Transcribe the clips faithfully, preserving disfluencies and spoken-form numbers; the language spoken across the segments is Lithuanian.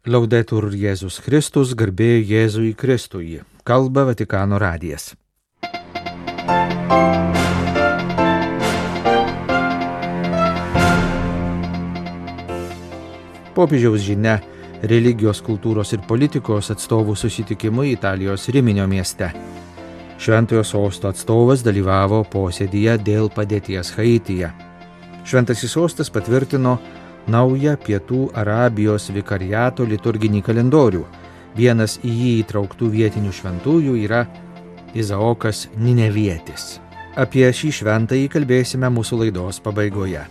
Laudetur Jėzus Kristus, garbė Jėzui Kristui. Kalba Vatikano radijas. Popiežiaus žinia religijos, kultūros ir politikos atstovų susitikimui Italijos Riminio mieste. Šventojo sosto atstovas dalyvavo posėdyje dėl padėties Haityje. Šventasis sostas patvirtino naują Pietų Arabijos vikariato liturginį kalendorių. Vienas į jį įtrauktų vietinių šventųjų yra Izaokas Ninevietis. Apie šį šventąjį kalbėsime mūsų laidos pabaigoje.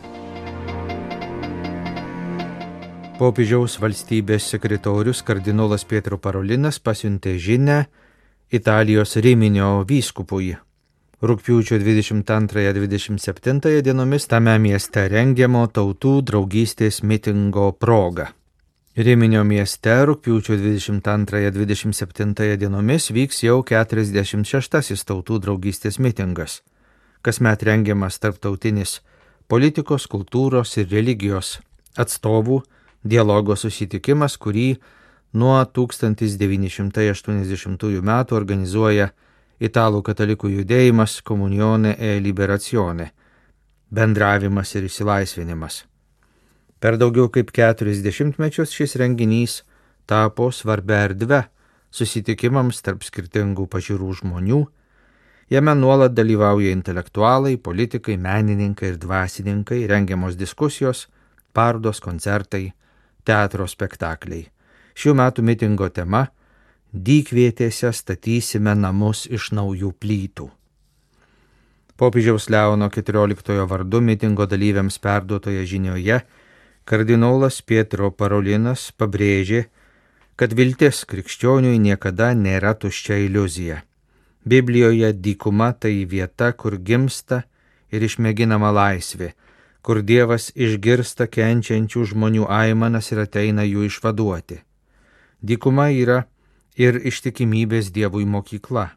Popiežiaus valstybės sekretorius kardinolas Pietro Parolinas pasiuntė žinią Italijos Riminio vyskupui. Rugpjūčio dvidešimt antrąją dvidešimt septintąją dienomis tame mieste rengiamo tautų draugystės mitingo proga. Riminio mieste rugpjūčio dvidešimt antrąją dvidešimt septintąją dienomis vyks jau keturiasdešimt šeštasis tautų draugystės mitingas. Kasmet rengiamas tarptautinis politikos, kultūros ir religijos atstovų dialogo susitikimas, kurį nuo tūkstantis devyni šimtai aštuoniasdešimtųjų metų organizuoja Italų katalikų judėjimas Comunione e Liberazione – bendravimas ir išsilaisvinimas. Per daugiau kaip keturis dešimtmečius šis renginys tapo svarbia erdve susitikimams tarp skirtingų pažiūrų žmonių. Jame nuolat dalyvauja intelektualai, politikai, menininkai ir dvasininkai, rengiamos diskusijos, parodos, koncertai, teatro spektakliai. Šių metų mitingo tema – Dykvietėse statysime namus iš naujų plytų. Popiežiaus Leono keturioliktojo vardu mitingo dalyviams perduotoje žinioje kardinolas Pietro Parolinas pabrėžė, kad viltis krikščioniui niekada nėra tuščia iliuzija. Biblijoje dykuma tai vieta, kur gimsta ir išmėginama laisvė, kur Dievas išgirsta kenčiančių žmonių aimanas ir ateina jų išvaduoti. Dykuma yra ir ištikimybės Dievui mokykla.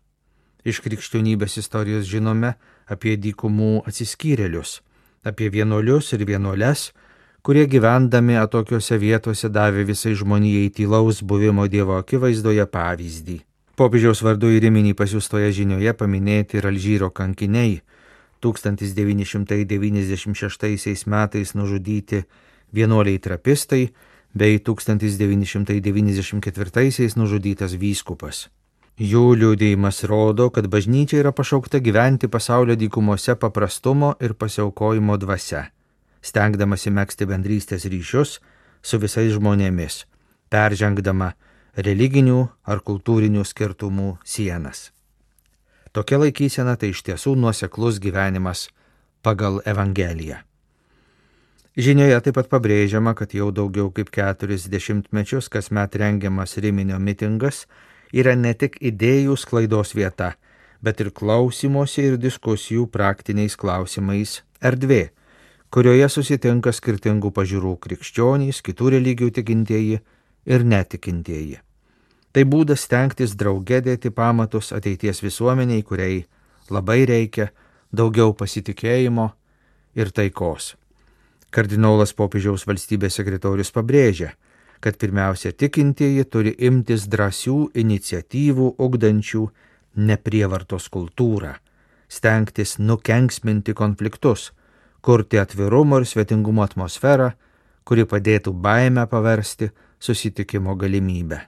Iš krikščionybės istorijos žinome apie dykumų atsiskyrėlius, apie vienuolius ir vienuoles, kurie gyvendami atokiose vietose davė visai žmonijai tylaus buvimo Dievo akivaizdoje pavyzdį. Popiežiaus vardu į Riminį pasiųstoje žinioje paminėti ir Alžyro kankiniai, tūkstantis devyni šimtai devyniasdešimt šeštaisiais metais nužudyti vienuoliai trapistai, bei tūkstantis devyni šimtai devyniasdešimt ketvirtaisiais nužudytas vyskupas. Jų liudijimas rodo, kad bažnyčia yra pašaukta gyventi pasaulio dykumose paprastumo ir pasiaukojimo dvasia, stengdamasi megzti bendrystės ryšius su visais žmonėmis, peržengdama religinių ar kultūrinių skirtumų sienas. Tokia laikysena tai iš tiesų nuoseklus gyvenimas pagal Evangeliją. Žinioje taip pat pabrėžiama, kad jau daugiau kaip keturis dešimtmečius kasmet rengiamas Riminio mitingas yra ne tik idėjų sklaidos vieta, bet ir klausymosi ir diskusijų praktiniais klausimais erdvė, kurioje susitinka skirtingų pažiūrų krikščionys, kitų religijų tikintieji ir netikintieji. Tai būdas stengtis drauge dėti pamatus ateities visuomeniai, kuriai labai reikia daugiau pasitikėjimo ir taikos. Kardinolas popiežiaus valstybės sekretorius pabrėžia, kad pirmiausia tikintieji turi imtis drąsių iniciatyvų ugdančių neprievartos kultūrą, stengtis nukenksminti konfliktus, kurti atvirumo ir svetingumo atmosferą, kuri padėtų baimę paversti susitikimo galimybę.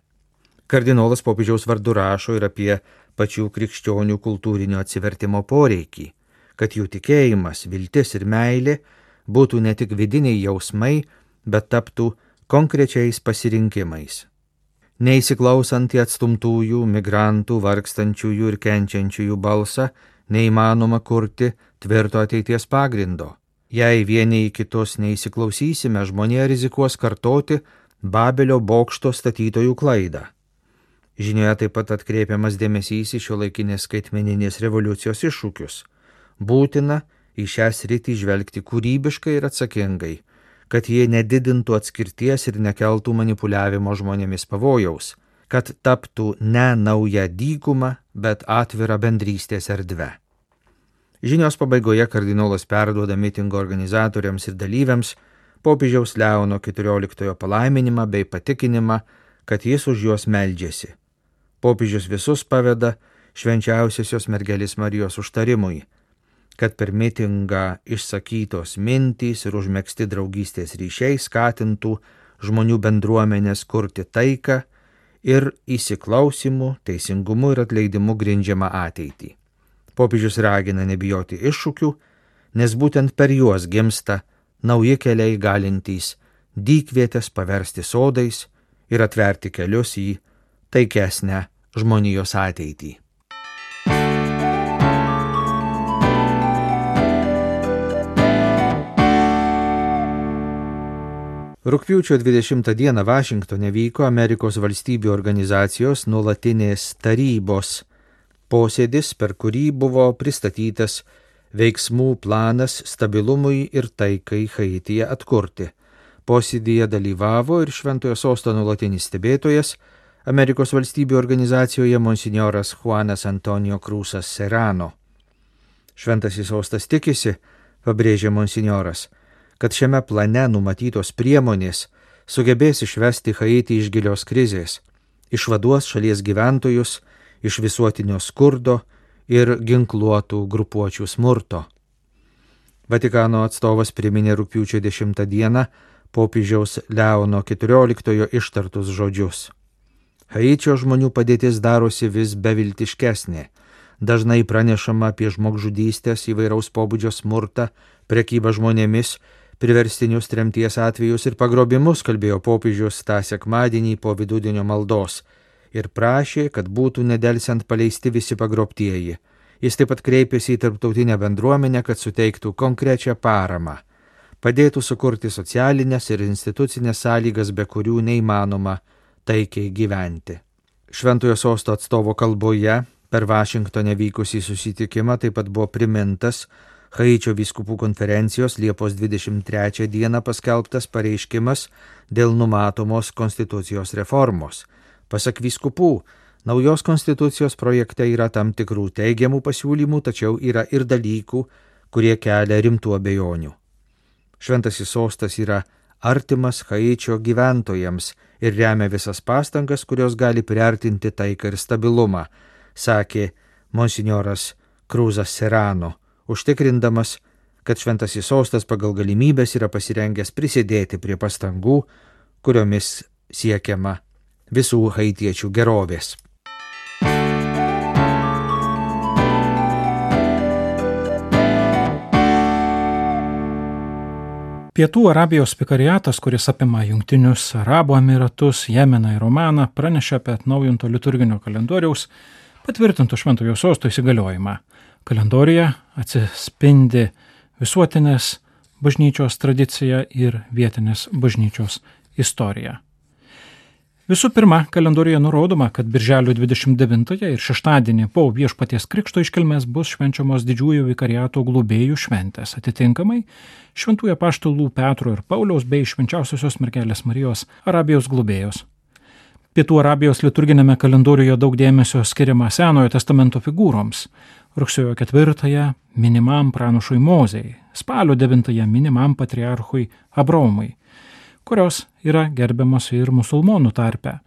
Kardinolas popiežiaus vardu rašo ir apie pačių krikščionių kultūrinio atsivertimo poreikį, kad jų tikėjimas, viltis ir meilė būtų ne tik vidiniai jausmai, bet taptų konkrečiais pasirinkimais. Neįsiklausant į atstumtųjų, migrantų, vargstančiųjų ir kenčiančiųjų balsą, neįmanoma kurti tvirto ateities pagrindo. Jei vieni į kitus neįsiklausysime, žmonija rizikuos kartoti Babelio bokšto statytojų klaidą. Žinioje taip pat atkreipiamas dėmesys į šiuolaikinės skaitmeninės revoliucijos iššūkius. Būtina į šią sritį žvelgti kūrybiškai ir atsakingai, kad jie nedidintų atskirties ir nekeltų manipuliavimo žmonėmis pavojaus, kad taptų ne nauja dykuma, bet atvira bendrystės erdve. Žinios pabaigoje kardinolas perduoda mitingo organizatoriams ir dalyviams popiežiaus Leono keturioliktojo palaiminimą bei patikinimą, kad jis už juos meldžiasi. Popiežius visus paveda švenčiausiosios mergelės Marijos užtarimui, kad per mitingą išsakytos mintys ir užmegzti draugystės ryšiai skatintų žmonių bendruomenės kurti taiką ir įsiklausimu, teisingumu ir atleidimu grindžiamą ateitį. Popiežius ragina nebijoti iššūkių, nes būtent per juos gimsta nauji keliai galintys dykvietės paversti sodais ir atverti kelius į taikesnę žmonijos ateitį. Rugpjūčio dvidešimtą dieną Vašingtone vyko Amerikos valstybių organizacijos nuolatinės tarybos posėdis, per kurį buvo pristatytas veiksmų planas stabilumui ir taikai Haityje atkurti. Posėdyje dalyvavo ir Šventojo Sosto nuolatinis stebėtojas Amerikos valstybių organizacijoje monsinjoras Juanas Antonijo Cruzas Serrano. Šventasis Sostas tikisi, pabrėžė monsinjoras, kad šiame plane numatytos priemonės sugebės išvesti Haitį iš gilios krizės, išvaduos šalies gyventojus iš visuotinio skurdo ir ginkluotų grupuočių smurto. Vatikano atstovas priminė rugpjūčio dešimtą dieną popiežiaus Leono keturioliktojo ištartus žodžius. Haičio žmonių padėtis darosi vis beviltiškesnė. Dažnai pranešama apie žmogžudystės, įvairaus pobūdžio smurtą, prekybą žmonėmis, priverstinius tremties atvejus ir pagrobimus, kalbėjo popiežius tą sekmadienį po vidudienio maldos ir prašė, kad būtų nedelsiant paleisti visi pagrobtieji. Jis taip pat kreipėsi į tarptautinę bendruomenę, kad suteiktų konkrečią paramą, padėtų sukurti socialinės ir institucinės sąlygas, be kurių neįmanoma taikiai gyventi. Šventojo Sosto atstovo kalboje per Vašingtone vykusį susitikimą taip pat buvo primintas Haičio vyskupų konferencijos Liepos dvidešimt trečią dieną paskelbtas pareiškimas dėl numatomos konstitucijos reformos. Pasak vyskupų, naujos konstitucijos projekte yra tam tikrų teigiamų pasiūlymų, tačiau yra ir dalykų, kurie kelia rimtų abejonių. Šventasis Sostas yra artimas Haičio gyventojams ir remia visas pastangas, kurios gali priartinti taiką ir stabilumą, sakė monsinjoras Cruzas Serrano, užtikrindamas, kad Šventasis Sostas pagal galimybės yra pasirengęs prisidėti prie pastangų, kuriomis siekiama visų haitiečių gerovės. Pietų Arabijos vikariatas, kuris apima Jungtinius Arabų Emiratus, Jemeną ir Omaną, pranešė apie atnaujinto liturginio kalendoriaus patvirtinto Šventojo Sosto įsigaliojimą. Kalendoriuje atsispindi visuotinės bažnyčios tradicija ir vietinės bažnyčios istorija. Visų pirma, kalendoriuje nurodoma, kad birželio dvidešimt devintąją ir šeštadienį po Viešpaties Krikšto iškilmės bus švenčiamos didžiųjų vikariato globėjų šventės, atitinkamai šventųjų apaštalų Petro ir Pauliaus bei švenčiausiosios mergelės Marijos Arabijos globėjos. Pietų Arabijos liturginėme kalendoriuje daug dėmesio skiriama Senojo testamento figūroms. Rugsėjo ketvirtąją minimam pranašui Mozei, spalio devintąją minimam patriarchui Abraomui, kurios yra gerbiamos ir musulmonų tarpe.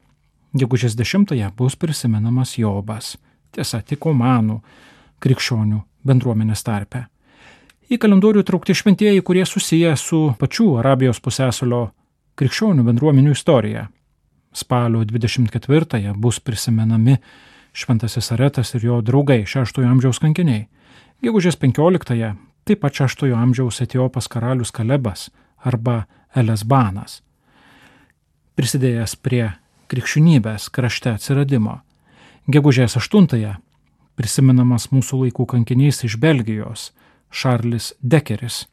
Gegužės dešimtąją bus prisimenamas Jobas, tiesa tik omanų krikščionių bendruomenės tarpe. Į kalendorių traukti šventieji, kurie susiję su pačių Arabijos pusiasalio krikščionių bendruomenių istorija. Spalio dvidešimt ketvirtąją bus prisimenami Šventasis Aretas ir jo draugai, šeštojo amžiaus kankiniai. Gegužės penkioliktąją taip pat šeštojo amžiaus Etiopas karalius Kalebas arba Elesbanas, prisidėjęs prie krikščionybės krašte atsiradimo. Gegužės aštuntąją prisimenamas mūsų laikų kankinys iš Belgijos, Šarlis Dekeris.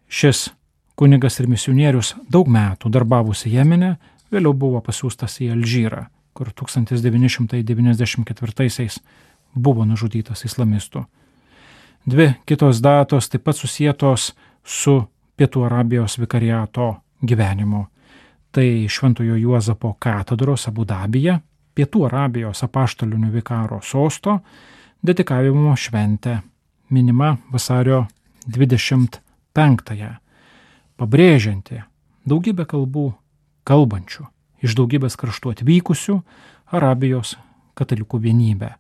Šis kunigas ir misionierius daug metų darbavosi Jemene, vėliau buvo pasiųstas į Alžyrą, kur tūkstantis devyni šimtai devyniasdešimt ketvirtaisiais buvo nužudytas islamistų. Dvi kitos datos taip pat susietos su Pietų Arabijos vikariato gyvenimu. Tai Šventojo Juozapo katedros Abu Dabyje, Pietų Arabijos apaštalinių vikaro sosto dedikavimo šventė, minima vasario dvidešimt penktąją, pabrėžianti daugybę kalbų kalbančių, iš daugybės kraštų atvykusių Arabijos katalikų vienybę.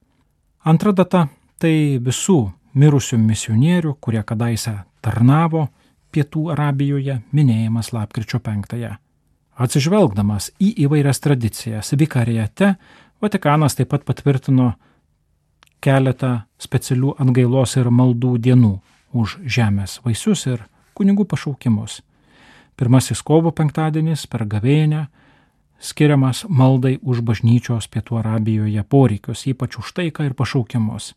Antra data – tai visų mirusių misionierių, kurie kadaise tarnavo Pietų Arabijoje, minėjimas lapkričio penktąją. Atsižvelgdamas į įvairias tradicijas vikarijate, Vatikanas taip pat patvirtino keletą specialių atgailos ir maldų dienų už žemės vaisius ir kunigų pašaukimus. Pirmasis kovo penktadienis per gavėnią skiriamas maldai už bažnyčios Pietų Arabijoje poreikius, ypač už taiką ir pašaukimus.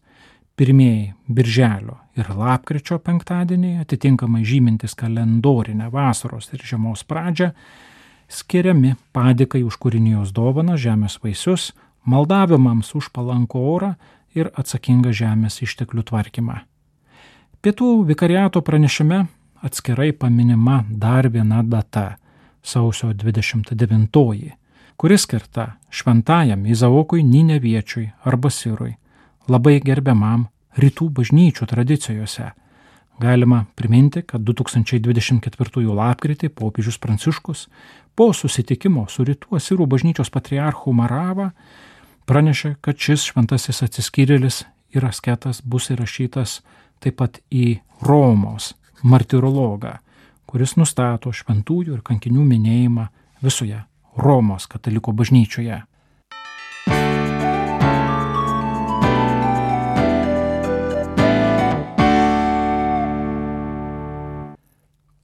Pirmieji birželio ir lapkričio penktadieniai, atitinkamai žymintis kalendorinę vasaros ir žiemos pradžią, skiriami padėkai už kūrinijos dovaną, žemės vaisius, maldavimams už palankų orą ir atsakingą žemės išteklių tvarkymą. Pietų vikariato pranešime atskirai paminima dar viena data – sausio dvidešimt devintoji, kuri skirta šventajam Izaokui Nineviečiui arba Sirui, labai gerbiamam rytų bažnyčių tradicijose. Galima priminti, kad du tūkstančiai dvidešimt ketvirtųjų lapkritį popiežius Pranciškus po susitikimo su rytų asirų bažnyčios patriarchu Marava pranešė, kad šis šventasis atsiskyrėlis ir asketas bus įrašytas taip pat į Romos martirologą, kuris nustato šventųjų ir kankinių minėjimą visoje Romos katalikų bažnyčioje.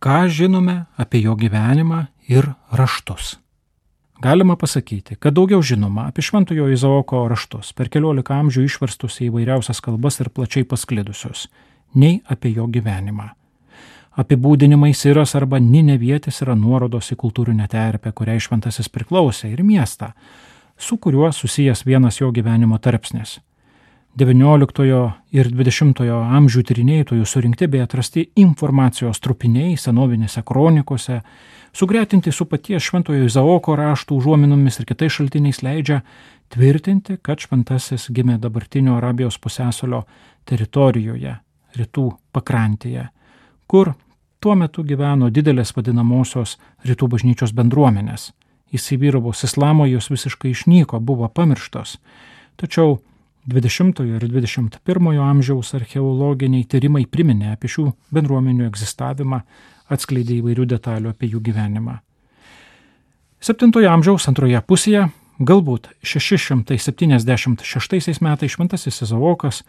Ką žinome apie jo gyvenimą ir raštus? Galima pasakyti, kad daugiau žinoma apie šventojo Izaoko raštus, per keliolika amžių išverstus į įvairiausias kalbas ir plačiai pasklidusius, nei apie jo gyvenimą. Apibūdinimai Siras arba Ninevietis yra nuorodos į kultūrinę terpę, kuriai šventasis priklausė, ir miestą, su kuriuo susijęs vienas jo gyvenimo tarpsnis. devynioliktojo ir dvidešimtojo amžių tyrinėtojų surinkti bei atrasti informacijos trupiniai senovinėse kronikose, sugretinti su paties šventojo Izaoko raštų užuominomis ir kitais šaltiniais leidžia tvirtinti, kad šventasis gimė dabartinio Arabijos pusiasalio teritorijoje, rytų pakrantėje, kur tuo metu gyveno didelės vadinamosios rytų bažnyčios bendruomenės. Įsivyravus islamo jos visiškai išnyko, buvo pamirštos. Tačiau dvidešimtojo ir dvidešimt pirmojo amžiaus archeologiniai tyrimai priminė apie šių bendruomenių egzistavimą, atskleidė įvairių detalių apie jų gyvenimą. Septintojo amžiaus antroje pusėje, galbūt šeši šimtai septyniasdešimt šeštaisiais metais šventasis Izaokas,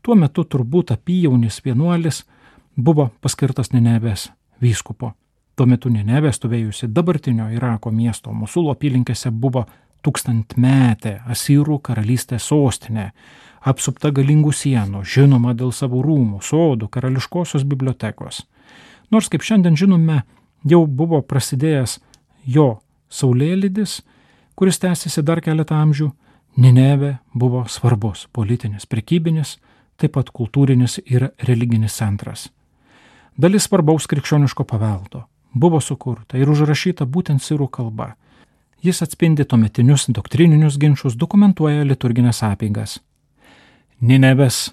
tuo metu turbūt apyjaunis vienuolis, buvo paskirtas Ninevės vyskupo. Tuo metu Ninevė, stovėjusi dabartinio Irako miesto Mosulo apylinkėse, buvo tūkstantmetė Asirų karalystės sostinė, apsupta galingų sienų, žinoma dėl savo rūmų, sodų, karališkosios bibliotekos. Nors, kaip šiandien žinome, jau buvo prasidėjęs jo saulėlydis, kuris tęsiasi dar keletą amžių, Ninevė buvo svarbus politinis, prekybinis, taip pat kultūrinis ir religinis centras. Dalis svarbaus krikščioniško paveldo buvo sukurta ir užrašyta būtent sirų kalba. Jis atspindi tuometinius doktrininius ginčus, dokumentuoja liturginės apeigas. Ninevės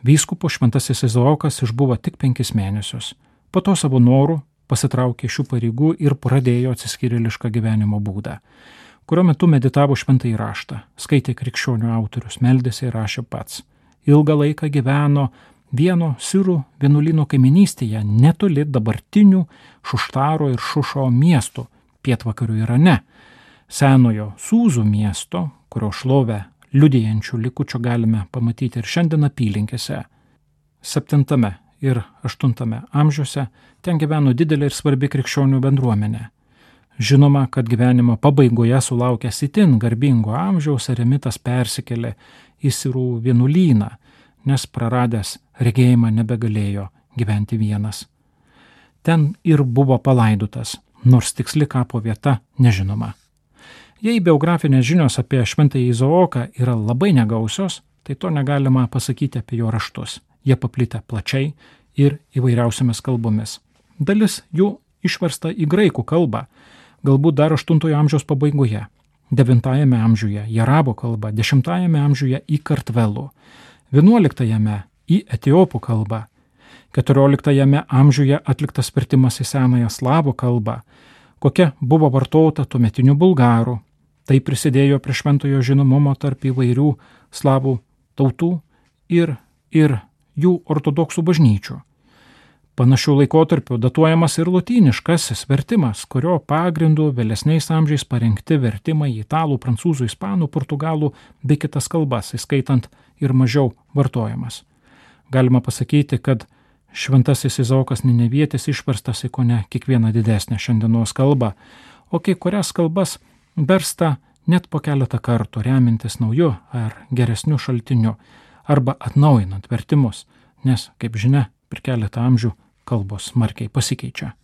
vyskupo šventasis Izaokas išbuvo tik penkis mėnesius. Po to savo norų pasitraukė šių pareigų ir pradėjo atsiskyrėlišką gyvenimo būdą, kurio metu meditavo šventąjį raštą, skaitė krikščionių autorius, meldėsi ir rašė pats. Ilgą laiką gyveno vieno sirų vienuolyno kaiminystėje netoli dabartinių Šuštaro ir Šušo miestų pietvakarių Irane, senojo Sūzų miesto, kurio šlovę liudijančių likučių galime pamatyti ir šiandien apylinkėse. Septintame ir aštuntame amžiuose ten gyveno didelė ir svarbi krikščionių bendruomenė. Žinoma, kad gyvenimo pabaigoje sulaukęs itin garbingo amžiaus eremitas persikėlė į sirų vienuolyną, nes praradęs regėjimą nebegalėjo gyventi vienas. Ten ir buvo palaidotas, nors tiksli kapo vieta nežinoma. Jei biografinės žinios apie šventąjį Izaoką yra labai negausios, tai to negalima pasakyti apie jo raštus. Jie paplitę plačiai ir įvairiausiamis kalbomis. Dalis jų išversta į graikų kalbą, galbūt dar aštuntojo amžiaus pabaigoje, devintajame amžiuje į arabų kalbą, dešimtajame amžiuje į kartvelų, vienuoliktajame į etiopų kalbą, keturioliktajame amžiuje atliktas vertimas į senąją slavų kalbą, kokia buvo vartota tuometinių bulgarų. Tai prisidėjo prie šventojo žinomumo tarp įvairių slavų tautų ir, ir jų ortodoksų bažnyčių. Panašių laikotarpių datuojamas ir lotyniškasis vertimas, kurio pagrindu vėlesniais amžiais parengti vertimai į italų, prancūzų, ispanų, portugalų bei kitas kalbas, įskaitant ir mažiau vartojamas. Galima pasakyti, kad šventasis Izaokas Ninevietis išverstas į kone kiekvieną didesnę šiandienos kalbą, o kai kurias kalbas versta net po keletą kartų, remintis nauju ar geresniu šaltiniu arba atnaujinant vertimus, nes, kaip žinia, per keletą amžių kalbos smarkiai pasikeičia.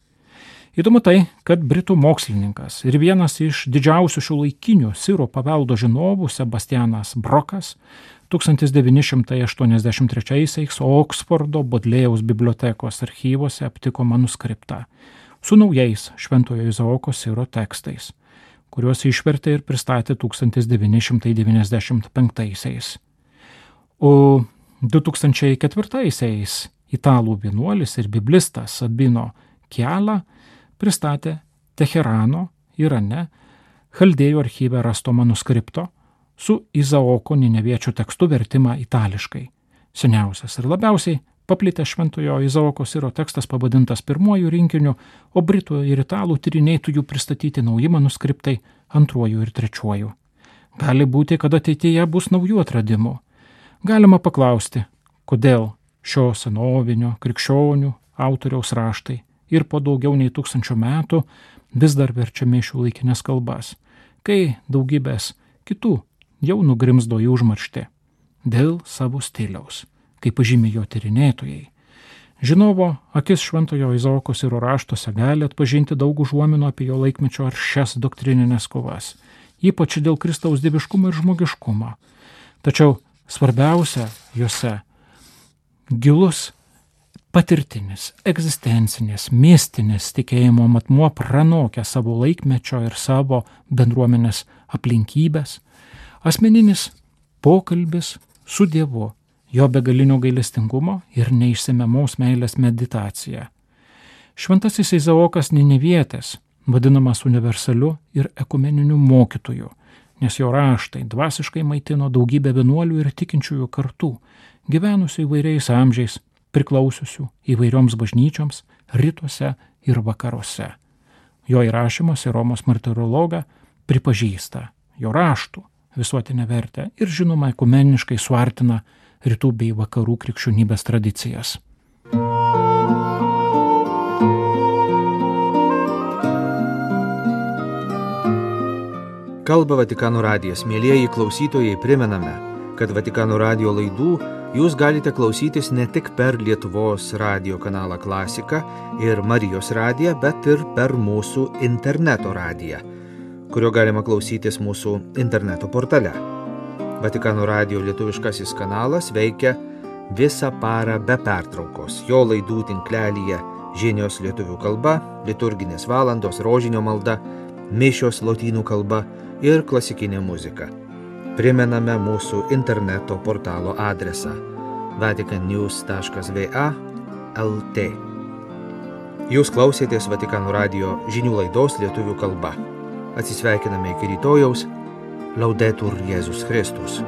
Įdomu tai, kad britų mokslininkas ir vienas iš didžiausių šiuolaikinių sirų paveldo žinovų Sebastianas Brokas tūkstantis devyni šimtai aštuoniasdešimt trečiaisiais Oksfordo Bodlėjaus bibliotekos archyvose aptiko manuskriptą su naujais šventojo Izaoko siro tekstais, kuriuos išvertė ir pristatė tūkstantis devyni šimtai devyniasdešimt penktaisiais. O du tūkstančiai ketvirtaisiais italų vienuolis ir biblistas Sabino Chiala pristatė Teherano, Irane, Chaldėjų archyve rasto manuskripto su Izaoko Nineviečių tekstu vertimą itališkai. Seniausias ir labiausiai paplitęs šventojo Izaoko siro tekstas pavadintas pirmuoju rinkiniu, o britų ir italų tyrinėtojų pristatyti nauji manuskriptai antruoju ir trečiuoju. Gali būti, kad ateityje bus naujų atradimų. Galima paklausti, kodėl šio senovinio krikščionių autoriaus raštai ir po daugiau nei tūkstančio metų vis dar verčiami šiuolaikinės kalbas, kai daugybės kitų jau nugrimzdo į užmarštį dėl savo stiliaus, kaip pažymi jo tyrinėtojai. Žinovo akis šventojo Izaoko siro raštuose gali atpažinti daug užuominų apie jo laikmečio aršias doktrininės kovas, ypač dėl Kristaus dieviškumo ir žmogiškumo. Tačiau svarbiausia juose gilus patirtinis, egzistencinės, mistinis tikėjimo matmuo pranokia savo laikmečio ir savo bendruomenės aplinkybės, asmeninis pokalbis su Dievu, jo begalinio gailestingumo ir neišsemiamos meilės meditacija. Šventasis Izaokas Ninevietis vadinamas universaliu ir ekumeniniu mokytoju, nes jo raštai dvasiškai maitino daugybę vienuolių ir tikinčiųjų kartų, gyvenusių įvairiais amžiais, priklausiusių įvairioms bažnyčioms rytuose ir vakaruose. Jo įrašymas į Romos martirologą pripažįsta jo raštų visuotinę vertę ir žinoma ekumeniškai suartina rytų bei vakarų krikščionybės tradicijas. Kalba Vatikano radijas. Mielieji klausytojai, primename, kad Vatikano radijo laidų jūs galite klausytis ne tik per Lietuvos radijo kanalą Klasika ir Marijos radiją, bet ir per mūsų interneto radiją, kurio galima klausytis mūsų interneto portale. Vatikano radijo lietuviškasis kanalas veikia visą parą be pertraukos. Jo laidų tinklelyje žinios lietuvių kalba, liturginės valandos, rožinio malda, mišios lotynų kalba ir klasikinė muzika. Primename mūsų interneto portalo adresą vatican news taškas v a taškas l t. Jūs klausėtės Vatikano radijo žinių laidos lietuvių kalba. Atsisveikiname iki rytojaus. Laudetur Jėzus Kristus.